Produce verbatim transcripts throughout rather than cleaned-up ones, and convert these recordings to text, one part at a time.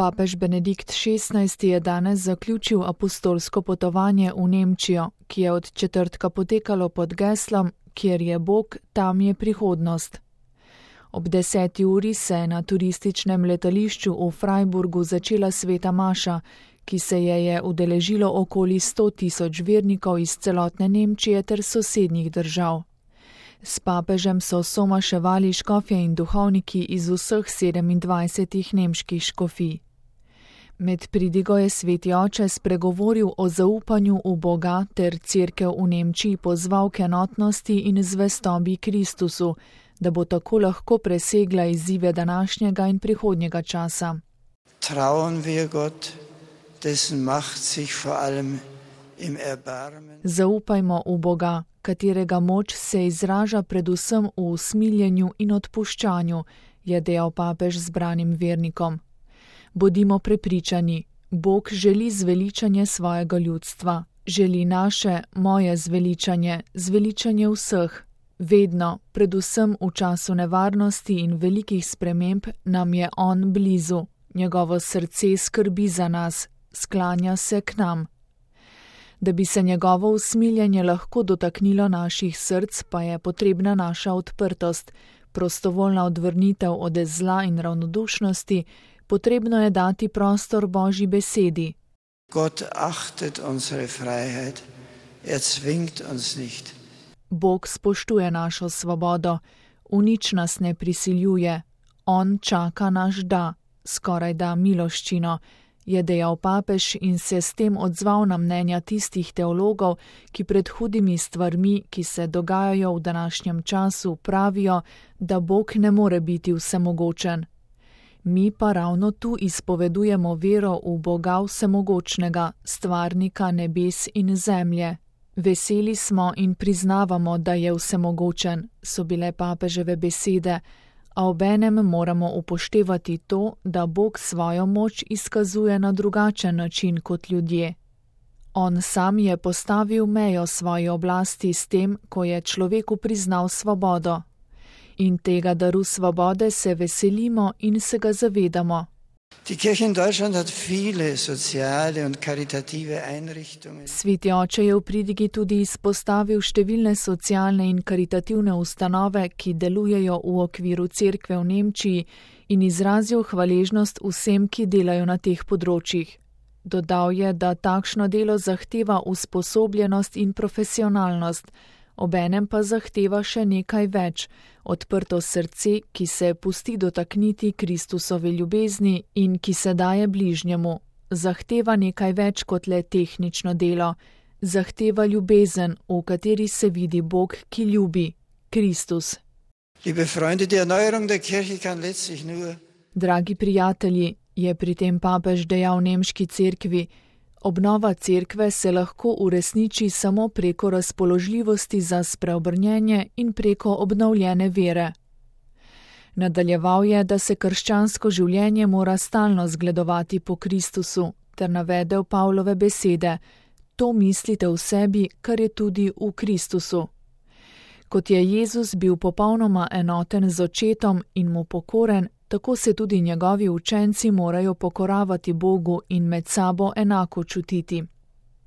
Papež Benedikt šestnajsti je danes zaključil apostolsko potovanje v Nemčijo, ki je od četrtka potekalo pod geslom Kjer je Bog, tam je prihodnost. Ob deseti uri se je na turističnem letališču v Freiburgu začela sveta maša, ki se je je udeležilo okoli sto tisoč vernikov iz celotne Nemčije ter sosednjih držav. S papežem so somaševali škofje in duhovniki iz vseh sedemindvajsetih nemških škofij. Med pridigo je sveti oče spregovoril o zaupanju v Boga ter cerkev v Nemčiji pozval k enotnosti in zvestobi Kristusu, da bo tako lahko presegla izzive današnjega in prihodnjega časa. Trauen wir Gott, dessen Macht sich vor allem im Erbarmen. Zaupajmo v Boga, katerega moč se izraža predvsem v usmiljenju in odpuščanju, je dejal papež zbranim vernikom. Bodimo prepričani, Bog želi zveličanje svojega ljudstva, želi naše, moje zveličanje, zveličanje vseh. Vedno, predvsem v času nevarnosti in velikih sprememb, nam je on blizu, njegovo srce skrbi za nas, sklanja se k nam. Da bi se njegovo usmiljenje lahko dotaknilo naših src, pa je potrebna naša odprtost, prostovoljna odvrnitev od zla in ravnodušnosti, potrebno je dati prostor Božji besedi. Gott achtet unsere Freiheit, er zwingt uns nicht. Bog spoštuje našo svobodo, v nič nas ne prisiljuje, on čaka naš da, skoraj da miloščino, je dejal papež in se s tem odzval na mnenja tistih teologov, ki pred hudimi stvarmi, ki se dogajajo v današnjem času, pravijo, da Bog ne more biti vsemogočen. Mi pa ravno tu izpovedujemo vero v Boga vsemogočnega, stvarnika nebes in zemlje. Veseli smo in priznavamo, da je vsemogočen, so bile papeževe besede, a obenem moramo upoštevati to, da Bog svojo moč izkazuje na drugačen način kot ljudje. On sam je postavil mejo svoji oblasti s tem, ko je človeku priznal svobodo. In tega daru svobode se veselimo in se ga zavedamo. Die Kirche in Deutschland hat viele soziale und karitative Einrichtungen. Sveti oče je v pridigi tudi izpostavil številne socialne in karitativne ustanove, ki delujejo v okviru cerkve v Nemčiji in izrazil hvaležnost vsem, ki delajo na teh področjih. Dodal je, da takšno delo zahteva usposobljenost in profesionalnost, obenem pa zahteva še nekaj več, odprto srce, ki se pusti dotakniti Kristusove ljubezni in ki se daje bližnjemu. Zahteva nekaj več kot le tehnično delo, zahteva ljubezen, v kateri se vidi Bog, ki ljubi, Kristus. Liebe Freunde, die Erneuerung der Kirche kann letztlich nur. Dragi prijatelji, je pri tem papež dejal nemški cerkvi, obnova cerkve se lahko uresniči samo preko razpoložljivosti za spreobrnjenje in preko obnovljene vere. Nadaljeval je, da se krščansko življenje mora stalno zgledovati po Kristusu, ter navedel Pavlove besede: to mislite v sebi, kar je tudi v Kristusu. Kot je Jezus bil popolnoma enoten z očetom in mu pokoren, tako se tudi njegovi učenci morajo pokoravati Bogu in med sabo enako čutiti.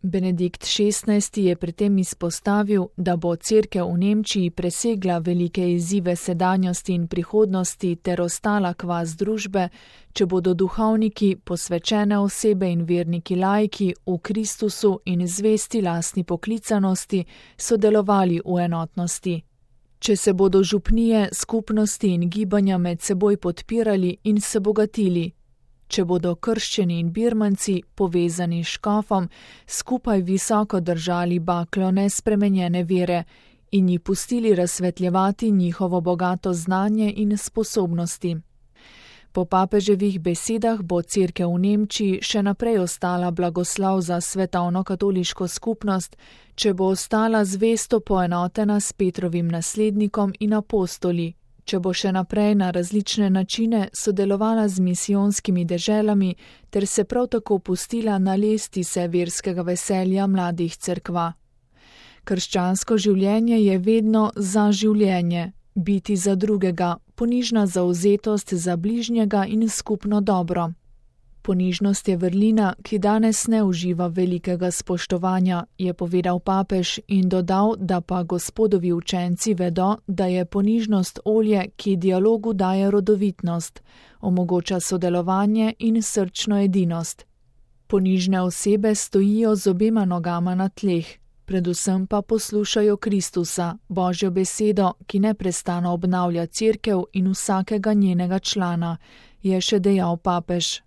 Benedikt šestnajsti je pri tem izpostavil, da bo cerkev v Nemčiji presegla velike izzive sedanjosti in prihodnosti ter ostala kvas družbe, če bodo duhovniki, posvečene osebe in verniki laiki v Kristusu in zvesti lastni poklicanosti sodelovali v enotnosti. Če se bodo župnije, skupnosti in gibanja med seboj podpirali in se bogatili, če bodo krščeni in birmanci, povezani s škofom, skupaj visoko držali baklo nespremenjene vere in ji pustili razsvetljevati njihovo bogato znanje in sposobnosti. Po papeževih besedah bo cerkev v Nemčiji še naprej ostala blagoslov za svetovno katoliško skupnost, če bo ostala zvesto poenotena s Petrovim naslednikom in apostoli, če bo še naprej na različne načine sodelovala z misijonskimi deželami ter se prav tako pustila nalesti se verskega veselja mladih cerkva. Krščansko življenje je vedno za življenje, biti za drugega, ponižna zauzetost za bližnjega in skupno dobro. Ponižnost je vrlina, ki danes ne uživa velikega spoštovanja, je povedal papež in dodal, da pa Gospodovi učenci vedo, da je ponižnost olje, ki dialogu daje rodovitnost, omogoča sodelovanje in srčno edinost. Ponižne osebe stojijo z obema nogama na tleh, predvsem pa poslušajo Kristusa, Božjo besedo, ki neprestano obnavlja Cerkev in vsakega njenega člana, je še dejal papež.